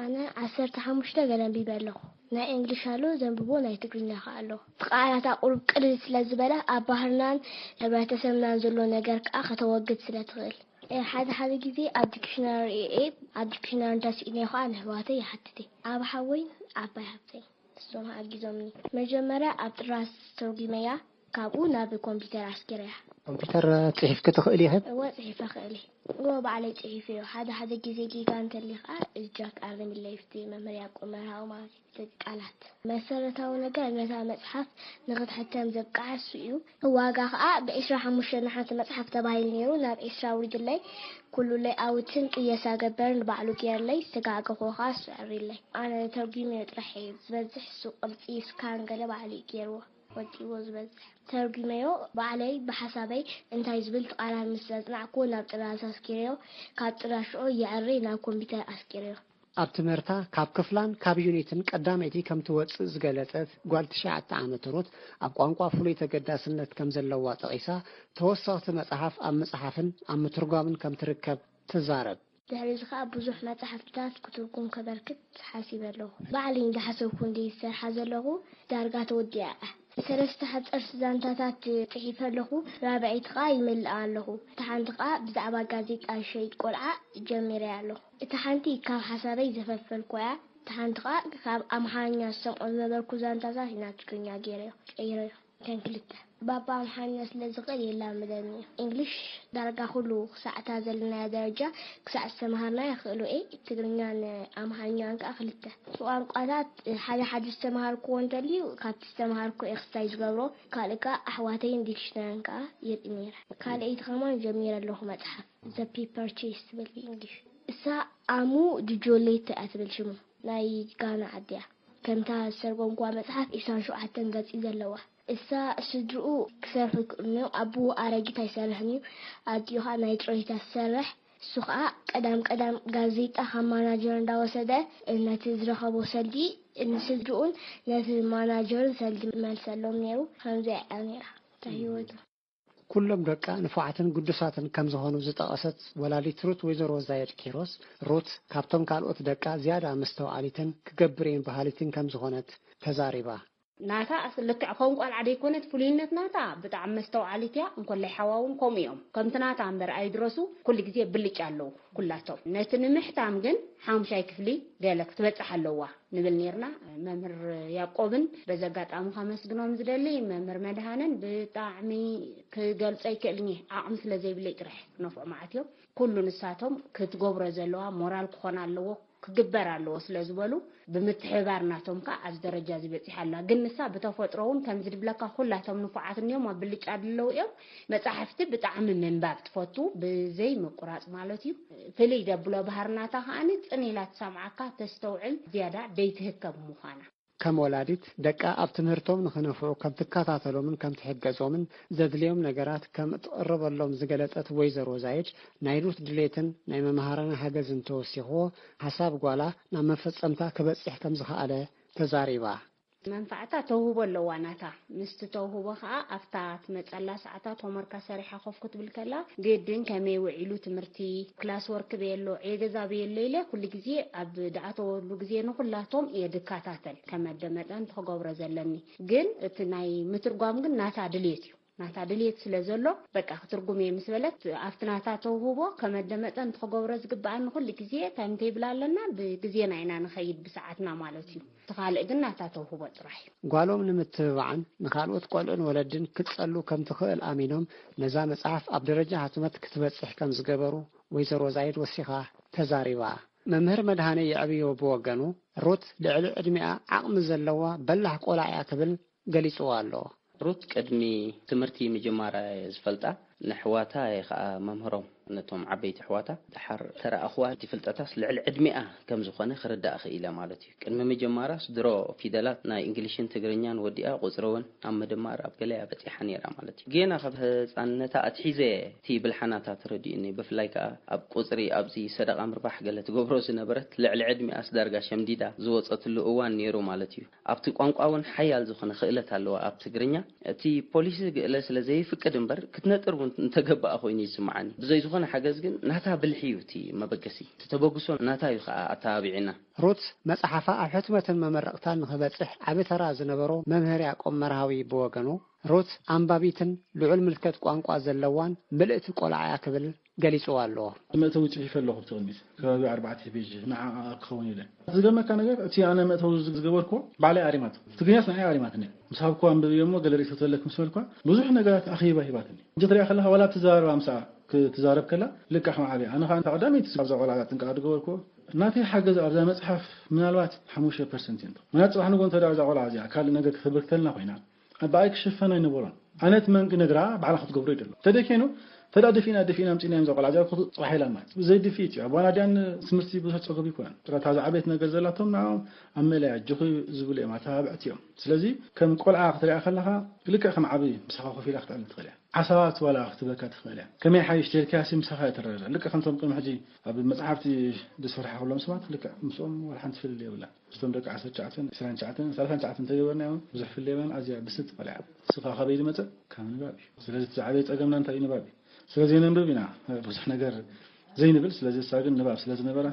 ኣነ ዓሰርተ ሓሙሽተ ገለ ኣንቢበ ኣለኹ። ናይ እንግሊሽ ኣሎ፣ ዘንብቦ ናይ ትግርኛ ከኣ ኣሎ። እቲ ቃላታ ቁሩብ ቅልል ስለ ዝበለ፣ ኣብ ባህርናን ሕብረተሰብናን ዘሎ ነገር ከኣ ከተወግድ ስለ ትኽእል። እ፣ ሓደ ሓደ ግዜ ኣብ ዲክሽነሪ እየ፣ ኣብ ዲክሽነሪ እንተስኢነ ከኣ ንኣሕዋተይ ይሓትት እየ። ኣብ ሓወይን ዓባይ ሃብተይን ንሶም ሓጊዞምኒ። መጀመርያ ኣብ ጥራዝ ተርጒመያ፣ ካብኡ ናብ ኮምፒተር ኣስጊረያ። ኮምፒተር ጽሒፍኪ ትኽእሊ ኢኺ? እወ፣ ጽሒፈ እኽእል እየ። እወ፣ ባዕለይ ጽሒፈዮ። ሓደ ሓደ ግዜ ጌጋ እንተልዩ ከኣ እጃክ ኣርምለይ፣ ብቲ መምህር ያዕቆብ መርሃዊ ማለት እዩ። እቲ ቃላት መሰረታዊ ነገር ነታ መጽሓፍ ንኽትሕተም ዘብቅዓ እሱ እዩ። ዋጋ ከኣ ብዒስራ ሓሙሽተ ንሓንቲ መጽሓፍ ተባሂሉ ነይሩ፣ ናብ ዒስራ ኣውሪድለይ። ኩሉ ሌይኣውትን ቅየሳ ገበርን ባዕሉ ገይርለይ፣ ዝተጋገኹ ከኣ እሱ ኣዕሪለይ። ኣነ ተርጒመዮ ጥራሕ እየ፣ ዝበዝሕ እሱ ቅርጺ ስካን ገለ ባዕሉ እዩ ገይርዎ። ወዲእዎ ዝበዝሕ ተርጒመዮ ባዕለይ ብሓሳበይ እንታይ ዝብል ቃላት ምስ ዘጽናዕክዎ ናብ ጥራዝ ኣስጊረዮ፣ ካብ ጥራዝ ሽዑ የዕሪ ናብ ኮምፒተር ኣስጊረዮ። ኣብ ትምህርታ ካብ ክፍላን ካብ ዩኒትን ቀዳመይቲ ከም ትወጽእ ዝገለጸት ጓል ትሽዓተ ዓመት ሩት፣ ኣብ ቋንቋ ፍሉይ ተገዳስነት ከም ዘለዋ ጠቒሳ፣ ተወሰኽቲ መጽሓፍ ኣብ ምጽሓፍን ኣብ ምትርጓምን ከም ትርከብ ትዛረብ። ድሕሪ እዚ ኸኣ ብዙሕ መጻሕፍትታት ክትርጉም ከበርክት ሓሲበ ኣለኹ። ባዕለይ እንዳሓሰብኩ እንድየ ዝሰርሓ ዘለኹ፣ ዳርጋ ተወዲኣ እያ። ሰለስተ ሓጸርቲ ዛንታታት ጽሒፈ ኣለኹ፣ ራብዐይቲ ኸኣ ይምልኣ ኣለኹ። እታ ሓንቲ ኸኣ ብዛዕባ ጋዜጣ ሸይጥ ቆልዓ ጀሚረያ ኣለኹ። እታ ሓንቲ ካብ ሓሳበይ ዘፈልፈልኩዋ እያ። እታ ሓንቲ ኸኣ ካብ ኣምሓርኛ ዝሰምዖ ዝነበርኩ ዛንታታት ናብ ትግርኛ ገይረዮ፣ ቀይረዮ። እተን ክልተ። ባባ ኣምሓርኛ ስለ ዝኽእል የላምደኒ እዩ። እንግሊሽ ዳርጋ ኩሉ ክሳዕ እታ ዘለናያ ደረጃ ክሳዕ ዝተምሃርናያ ክእሎ እየ። ትግርኛን ኣምሓርኛን ከኣ ክልተ። እቲ ቋንቋታት ሓደ ሓደ ዝተምሃርክዎ እንተልዩ ካብቲ ዝተምሃርኩ እየ ክስታይ ዝገብሮ። ካልእ ከኣ ኣሕዋተይን ዲክሽነርን ከኣ የርኢ ነይረ። ካልኣይቲ ከማን ጀሚረ ኣለኹ መጽሓፍ። ዘ ፒፐር ቼስ ትብል ብእንግሊሽ። እሳ ኣሙ ዱጆሌቶ እያ ትብል ሽሙ። ናይ ጋና ዓዲ እያ። ከምታ ዝተርጎምኩዋ መጽሓፍ ዒስራን ሸውዓተን ገጽ እዩ ዘለዋ። እሳ ስድርኡ ክሰርሑ ይክእሉ እዮም። ኣቦኡ ኣረጊት ኣይሰርሕን እዩ። ኣዲኡ ኸኣ ናይ ጥሮይታ ትሰርሕ። እሱ ኸኣ ቀዳም ቀዳም ጋዜጣ ካብ ማናጀር እንዳወሰደ ነቲ ዝረኸቦ ሰልዲ ንስድርኡን ነቲ ማናጀርን ሰልዲ መልሰሎም ነይሩ። ከምዚኣ እያ ነይራ እታ ህይወቱ። ኩሎም ደቃ ንፉዓትን ግዱሳትን ከም ዝኾኑ ዝጠቐሰት ወላዲት ሩት ወይዘሮ ዛየድ ኪሮስ፣ ሩት ካብቶም ካልኦት ደቃ ዝያዳ መስተውዓሊትን ክገብር እየን በሃሊትን ከም ዝኾነት ተዛሪባ። ናታ ኣስ-፣ ልክዕ ከም ቆልዓ ደይኮነት ፍሉይነት ናታ፣ ብጣዕሚ መስተውዓሊት እያ። እንኮላይ ሓዋ እውን ከምኡ እዮም። ከምቲ ናታ እምበር ኣይድረሱ፣ ኩሉ ግዜ ብልጫ ኣለዉ ኩላቶም። ነቲ ንምሕታም ግን ሓሙሻይ ክፍሊ ገለ ክትበጽሕ ኣለዋ ንብል ኔርና። መምህር ያዕቆብን በዚ ኣጋጣሚ ከመስግኖም ዝደሊ፣ መምህር መድሃንን ብጣዕሚ ክገልጾ ኣይክእልን እየ። ዓቕሚ ስለ ዘይብለይ ጥራሕ ክነፍዖ መዓት እዮም። ኩሉ ንሳቶም ክትገብሮ ዘለዋ ሞራል ክኾና ኣለዎ፣ ክግበር ኣለዎ ስለ ዝበሉ፣ ብምትሕብባር ናቶም ከኣ ኣብዚ ደረጃ እዚ በጺሓ ኣላ። ግን ንሳ ብተፈጥሮ እውን ከምዚ ድብለካ ኩላቶም ንፉዓት እንዲዮም፣ ኣብ ብልጫ ድለው እዮም። መጻሕፍቲ ብጣዕሚ ምንባብ ትፈቱ፣ ብዘይ ምቁራጽ ማለት እዩ። ፍልይ ደብሎ ባህሪ ናታ ከኣ ጽን ኢላ ትሰምዓካ፣ ተስተውዕል፣ ዝያዳ ደይትህከብ ምዃና። ከም ወላዲት፣ ደቃ ኣብ ትምህርቶም ንኽነፍዑ ከም ትከታተሎምን ከም ትሕገዞምን ዘድልዮም ነገራት ከም እትቕርበሎም ዝገለጸት ወይዘሮ ዛይድ፣ ናይ ሩት ድሌትን ናይ መምሃራና ሓገዝን ተወሲኽዎ፣ ሓሳብ ጓላ ናብ መፈጸምታ ክበጽሕ ከም ዝኸኣለ ተዛሪባ። መንፋዕታ ተውህቦ ኣለዋ ናታ። ምስቲ ተውህቦ ኸኣ ኣብታ ትመጸላ ሰዓታት ሆምወርካ ሰሪሓ ኮፍ ክትብል ከላ፣ ግድን ከመይ ውዒሉ ትምህርቲ፣ ክላስ ወርክ በየሎ፣ ዕዮ ገዛ በየሎ ኢለ ኩሉ ግዜ ኣብ ድኣተወሉ ግዜ ንኹላቶም እየ ድከታተል፣ ከመደመጠ እንተ ክገብሮ ዘለኒ። ግን እቲ ናይ ምትርጓም ግን ናታ ድልየት እዩ። ናታ ድልየት ስለ ዘሎ፣ በቃ ክትርጉም እየ ምስ በለት፣ ኣብቲ ናታ ተውህቦ ከመደመጠ እንተ ክገብሮ ዝግብኣኒ ኩሉ ግዜ ታይም ቴብል ኣለና፣ ብግዜና ኢና ንኸይድ፣ ብሰዓትና ማለት እዩ። እቲ ካልእ ግን ናታ ተውህቦ ጥራሕ እዩ። ጓሎም ንምትብባዕን ንኻልኦት ቆልዑን ወለድን ክትጸሉ ከም ትኽእል ኣሚኖም፣ ነዛ መጽሓፍ ኣብ ደረጃ ሕትመት ክትበጽሕ ከም ዝገበሩ ወይዘሮ ዛይድ ወሲኻ ተዛሪባ። መምህር መድሃኔ የዕብዮ ብወገኑ፣ ሩት ልዕሊ ዕድሚኣ ዓቕሚ ዘለዋ በላሕ ቆልዓ እያ ክብል ገሊጽዋ ኣሎ። ሩት ቅድሚ ትምህርቲ ምጅማራ እየ ዝፈልጣ። ንሕዋታ እየ ኸኣ መምህሮም፣ ነቶም ዓበይቲ ኣሕዋታ። ደሓር ተረኣኽዋ፣ እቲ ፍልጠታስ ልዕሊ ዕድሚኣ ከም ዝኾነ ክርዳእ ክኢለ ማለት እዩ። ቅድሚ ምጅማራስ ድሮ ፊደላት ናይ እንግሊሽን ትግርኛን ወዲኣ፣ ቁጽሪ እውን ኣብ ምድማር ኣብ ገለያ በጺሓ ነይራ ማለት እዩ። ጌና ካብ ህጻንነታ ኣትሒዘ እቲ ብልሓናታ ተረዲኡኒ። ብፍላይ ከኣ ኣብ ቁጽሪ፣ ኣብዚ ሰደቓ ምርባሕ ገለ ትገብሮ ዝነበረት፣ ልዕሊ ዕድሚኣስ ዳርጋ ሸምዲዳ ዝወጸትሉ እዋን ነይሩ ማለት እዩ። ኣብቲ ቋንቋ እውን ሓያል ዝኾነ ክእለት ኣለዋ ኣብ ትግርኛ። እቲ ፖሊሲ ግእለ ስለ ዘይፍቅድ እምበር፣ ክትነጥር እውን እንተገባኣ ኮይኑ ይስምዓኒ። ብዘይ ዝኾነ ሓገዝ ግን፣ ናታ ብልሒ እዩ እቲ መበገሲ። እቲ ተበግሶ ናታ እዩ ከኣ ኣተባቢዕና። ሩት መጽሓፋ ኣብ ሕትመትን መመረቕታን ንኽበጽሕ ዓቢ ተራ ዝነበሮ መምህር ያዕቆብ መርሃዊ ብወገኑ፣ ሩት ኣንባቢትን ልዑል ምልከት ቋንቋ ዘለዋን ምልእቲ ቆልዓ እያ ክብል ገሊጽዋ ኣሎ። መእተዊ ጽሒፈ ኣለኹ ኣብቲ ቅድሚት፣ ከባቢ ኣርባዕተ ፔጅ ንዓ ክኸውን ኢለ። ዝገርመካ ነገር፣ እቲ ኣነ መእተዊ ዝገበርኩዎ ባዕለይ ኣሪማቶ። ትግርኛስ ንዓይ ኣሪማትኒ። ምስ ሃብኩዋ ኣንብብዮ እሞ ገለ ርእይቶ ተለክ ምስ በልኳ፣ ብዙሕ ነገራት ኣኺባ ሂባትኒ። እንተ ትሪኣ ከለኻ፣ ዋላ እትዛረባ ምስኣ ክትዛረብ ከላ፣ ልክዕ ከም ዓብያ። ኣነ ኸኣ እታ ቀዳመይቲ ኣብዛ ቆልዓ ጥንቃቐ ዝገበርኩዎ፣ ናተይ ሓገዝ ኣብዛ መጽሓፍ ምናልባት ሓሙሽተ ፐርሰንት እዩ። ምናልባት ጽባሕ ንግሆ እንተ ደኣ እዛ ቆልዓ እዚኣ ካልእ ነገር ክትብር ክትልና ኮይና፣ ብኣይ ክሽፈን ኣይነበሮን። ኣነ እቲ መንግ ነግራ ባዕላ ክትገብሮ ይደሎ። ተደኬኑ፣ ተዳ ደፊና፣ ደፊና ኣምጺእና እዮም ዘቆልዓ። እዚኣ እኮ ጽባሕ ኢላ ማለት። ብዘይ ድፊት እዩ። ኣባና ድያን ትምህርቲ ብዙሕ ጸገብ ይኮነን። ጥራታ ዝዓበየት ነገር ዘላቶም ንዓኦም ኣብ መለያ ኣጆኺ ዝብሉ እዮም፣ ኣተባብዕቲ እዮም። ስለዚ ከም ቆልዓ ክትሪኣ ከለኻ ልክዕ ከም ዓቢ ምሳኻ ኮፍ ኢላ ክትዕልል ትኽእል እያ። ሓሳባት ዋላ ክትበካ ትኽእል እያ። ከመይ ሓይሽ ተልካሲ ምሳኻ እትረረ። ልክዕ ከምቶም ቅድሚ ሕጂ ኣብ መጽሓፍቲ ዝሰርሓ ከሎም ሰባት ልክዕ ምስኦም ዋላ ሓንቲ ፍልልይ የብላን። ምስቶም ደቂ ዓሰርተ ትሽዓተ፣ ዕስራን ትሽዓተን፣ ሰላሳን ትሽዓተን እንተገበርናዮም ብዙሕ ፍልልይ የብላን። ኣዝያ ብስልቲ ቆልዓ እያ። ንስኻ ካበይ ዝመጸ? ካብ ንባብ እዩ። ስለዚ እቲ ዝዓበየ ጸገምና እንታይ እዩ? ንባብ እዩ። ስለዚ ነንብብ ኢና ብዙሕ ነገር ዘይንብል። ስለዚ እሳ ግን ንባብ ስለ ዝነበራ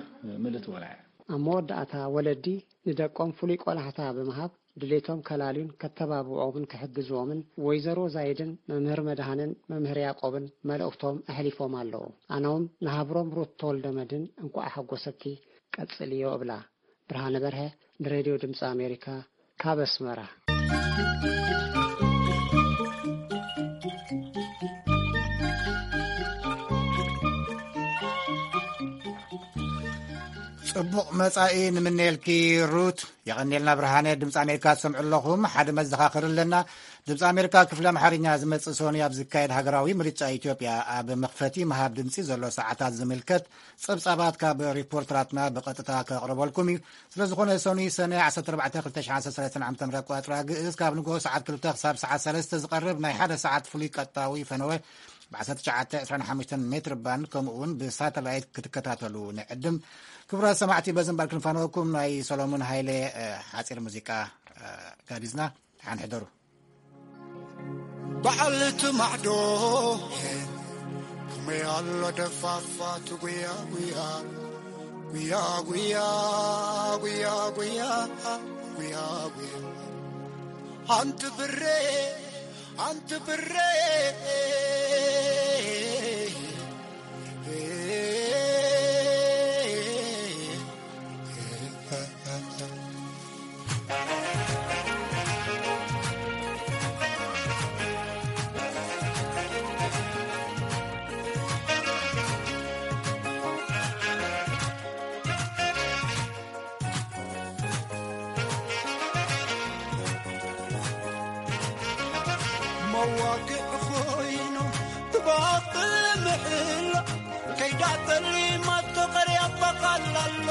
ምልእቲ ቆልዓ እያ። ኣብ መወዳእታ ወለዲ ንደቆም ፍሉይ ቆላሕታ ብምሃብ ድሌቶም ከላልዩን ከተባብዖምን ክሕግዝዎምን ወይዘሮ ዛይድን መምህር መድሃንን መምህር ያዕቆብን መልእኽቶም ኣሕሊፎም ኣለዉ። ኣነውን ንሃብሮም ሩት ተወልደ መድህን እንቋዕ ሓጎሰኪ ቀጽልዮ እብላ። ብርሃነ በርሀ ንሬድዮ ድምፂ ኣሜሪካ ካብ ኣስመራ። ጽቡቕ መጻኢ ንምነየልኪ ሩት። የቐንየልና ብርሃነ። ድምፂ ኣሜሪካ ትሰምዑ ኣለኹም። ሓደ መዘኻኸሪ ኣለና። ድምፂ ኣሜሪካ ክፍሊ ኣምሓርኛ ዝመጽእ ሰኑይ ኣብ ዝካየድ ሃገራዊ ምርጫ ኢትዮጵያ ኣብ መኽፈቲ ምሃብ ድምፂ ዘሎ ሰዓታት ዝምልከት ጸብጻባት ካብ ሪፖርተራትና ብቐጥታ ከቕርበልኩም እዩ። ስለ ዝኾነ ሰኑይ ሰነ ዓሰርተ ኣርባዕተ ክልተ ሽሕን ዓሰርተ ሰለስተን ዓመተ ምህረት ኣቆጻጽራ ግእዝ ካብ ንግሆ ሰዓት ክልተ ክሳብ ሰዓት ሰለስተ ዝቐርብ ናይ ሓደ ሰዓት ፍሉይ ቀጥታዊ ፈነወ ብ ዓሰርተ ትሽዓተ ዕስራን ሓሙሽተን ሜትር ባንድ ከምኡ እውን ብሳተላይት ክትከታተሉ ንዕድም። ክቡራት ሰማዕቲ በዚ እምበር ክንፋነወኩም ናይ ሰሎሙን ሃይለ፣ እ፣ ሓጺር ሙዚቃ፣ እ፣ ጋቢዝና። ደሓን ሕደሩ። በዓል እቲ ማዕዶ ከመይ ኣሎ ደፋፋት ጉያ ጉያ፣ ጉያ ጉያ፣ ጉያ ጉያ፣ ጉያ ጉያ። ኣንቲ ብሬ፣ ኣንቲ ብሬ። መዋግዕ ኮይኑ ትባብል ምሕላ ከይዳ ጠሊማቶ ቀርያ በቓላሎ።